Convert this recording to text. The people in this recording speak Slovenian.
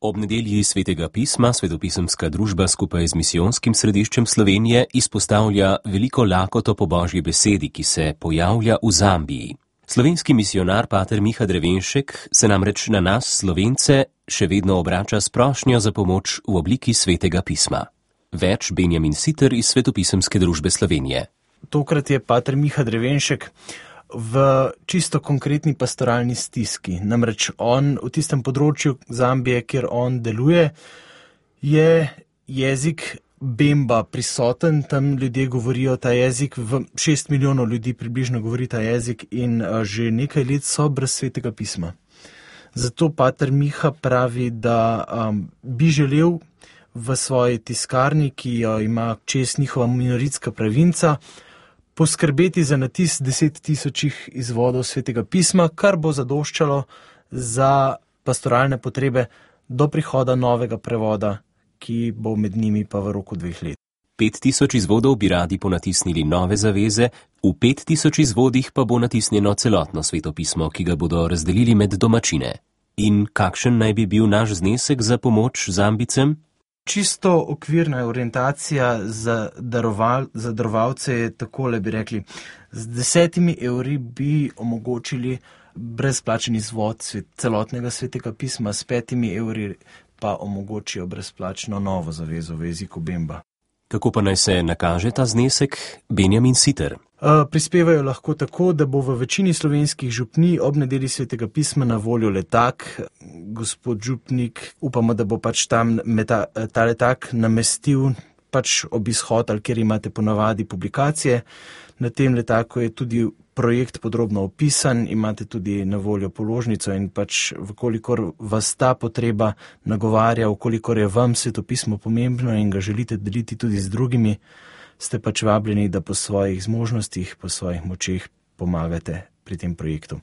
Ob nedelji Svetega pisma Svetopisemska družba skupaj z Misijonskim središčem Slovenije izpostavlja veliko lakoto po Božji besedi, ki se pojavlja v Zambiji. Slovenski misionar pater Miha Drevenšek se namreč na nas, Slovence, še vedno obrača s prošnjo za pomoč v obliki Svetega pisma. Več Benjamin Siter iz Svetopisemske družbe Slovenije. Tokrat je pater Miha Drevenšek v čisto konkretni pastoralni stiski. Namreč on v tistem področju Zambije, kjer on deluje, je jezik Bemba prisoten, tam ljudje govorijo ta jezik, 6 milijonov ljudi približno govori ta jezik in že nekaj let so brez Svetega pisma. Zato pater Miha pravi, da bi želel v svoji tiskarni, ki jo ima čez njihova minoritska provinca, poskrbeti za natis 10 000 izvodov Svetega pisma, kar bo zadoščalo za pastoralne potrebe do prihoda novega prevoda, ki bo med njimi pa v roku 2 let. 5000 izvodov bi radi ponatisnili nove zaveze, v 5000 izvodih pa bo natisnjeno celotno svetopismo, ki ga bodo razdelili med domačine. In kakšen naj bi bil naš znesek za pomoč Zambicem? Čisto okvirna orientacija za darovalce je takole, bi rekli. Z 10 evri bi omogočili brezplačen izvod celotnega Svetega pisma, s 5 evri pa omogočijo brezplačno novo zavezo v jeziku Bemba. Kako pa naj se nakaže ta znesek? Benjamin Siter. Prispevajo lahko tako, da bo v večini slovenskih župnij ob nedelji Svetega pisma na voljo letak. Gospod župnik, upamo, da bo pač tam ta letak namestil pač ob izhod, kjer imate ponavadi publikacije. Na tem letaku je tudi projekt podrobno opisan, imate tudi na voljo položnico in pač vkolikor vas ta potreba nagovarja, vkolikor je vam svetopismo pomembno in ga želite deliti tudi z drugimi, ste pač vabljeni, da po svojih zmožnostih, po svojih močeh pomagate pri tem projektu.